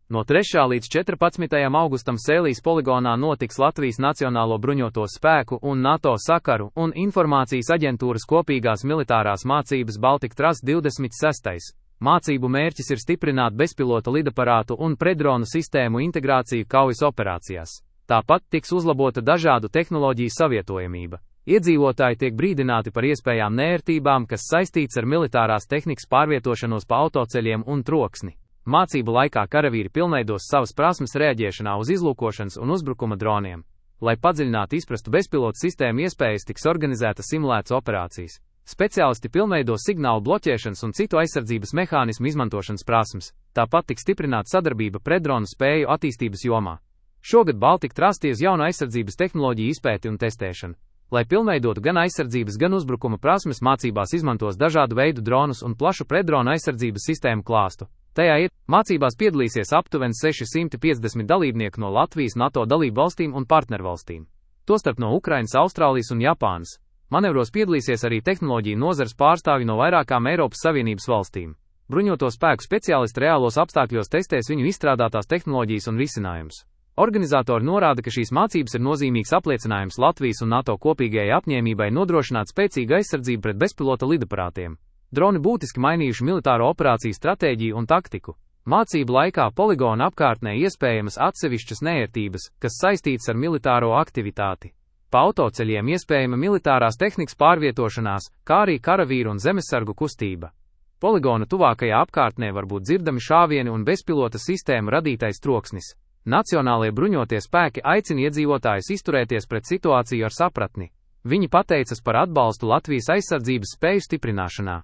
No 3. līdz 14. augustam Sēlijas poligonā notiks Latvijas Nacionālo bruņoto spēku un NATO sakaru un informācijas aģentūras kopīgās militārās mācības Baltic Trust 26. Mācību mērķis ir stiprināt bezpilota lidaparātu un predronu sistēmu integrāciju kaujas operācijās. Tāpat tiks uzlabota dažādu tehnoloģiju savietojamība. Iedzīvotāji tiek brīdināti par iespējām nērtībām, kas saistīts ar militārās tehnikas pārvietošanos pa autoceļiem un troksni. Mācību laikā karavīri pilnveidos savas prasmes reaģēšanā uz izlūkošanas un uzbrukuma droniem. Lai padziļināti izprastu bezpilotu sistēmu iespējas, tiks organizētas simulētas operācijas. Speciālisti pilnveido signālu bloķēšanas un citu aizsardzības mehānismu izmantošanas prasmes. Tāpat tiks stiprināta sadarbība predronu spēju attīstības jomā. Šogad Baltic Trust uz jaunu aizsardzības tehnoloģiju izpēti un testēšanu. Lai pilnveidotu gan aizsardzības, gan uzbrukuma prasmes, mācībās izmantos dažādu veidu dronus un plašu predronu aizsardzības sistēmu klāstu. Tajā mācībās piedalīsies aptuveni 650 dalībnieku no Latvijas, NATO dalību valstīm un partnervalstīm. Tostarp no Ukrainas, Austrālijas un Japānas. Manevros piedalīsies arī tehnoloģiju nozares pārstāvji no vairākām Eiropas Savienības valstīm. Bruņoto spēku speciālisti reālos apstākļos testēs viņu izstrādātās tehnoloģijas un risinājumus. Organizatori norāda, ka šīs mācības ir nozīmīgs apliecinājums Latvijas un NATO kopīgajai apņēmībai nodrošināt spēcīgu aizsardzību pret bezpilota lidaparātiem. Droni būtiski mainījuši militāro operāciju stratēģiju un taktiku. Mācību laikā poligona apkārtnē iespējamas atsevišķas neērtības, kas saistītas ar militāro aktivitāti. Pa autoceļiem iespējama militārās tehnikas pārvietošanās, kā arī karavīru un zemesargu kustība. Poligona tuvākajā apkārtnē var būt dzirdami šāvieni un bezpilota sistēmu radītais troksnis. Nacionālie bruņotie spēki aicina iedzīvotājus izturēties pret situāciju ar sapratni. Viņi pateicas par atbalstu Latvijas aizsardzības spēju stiprināšanā.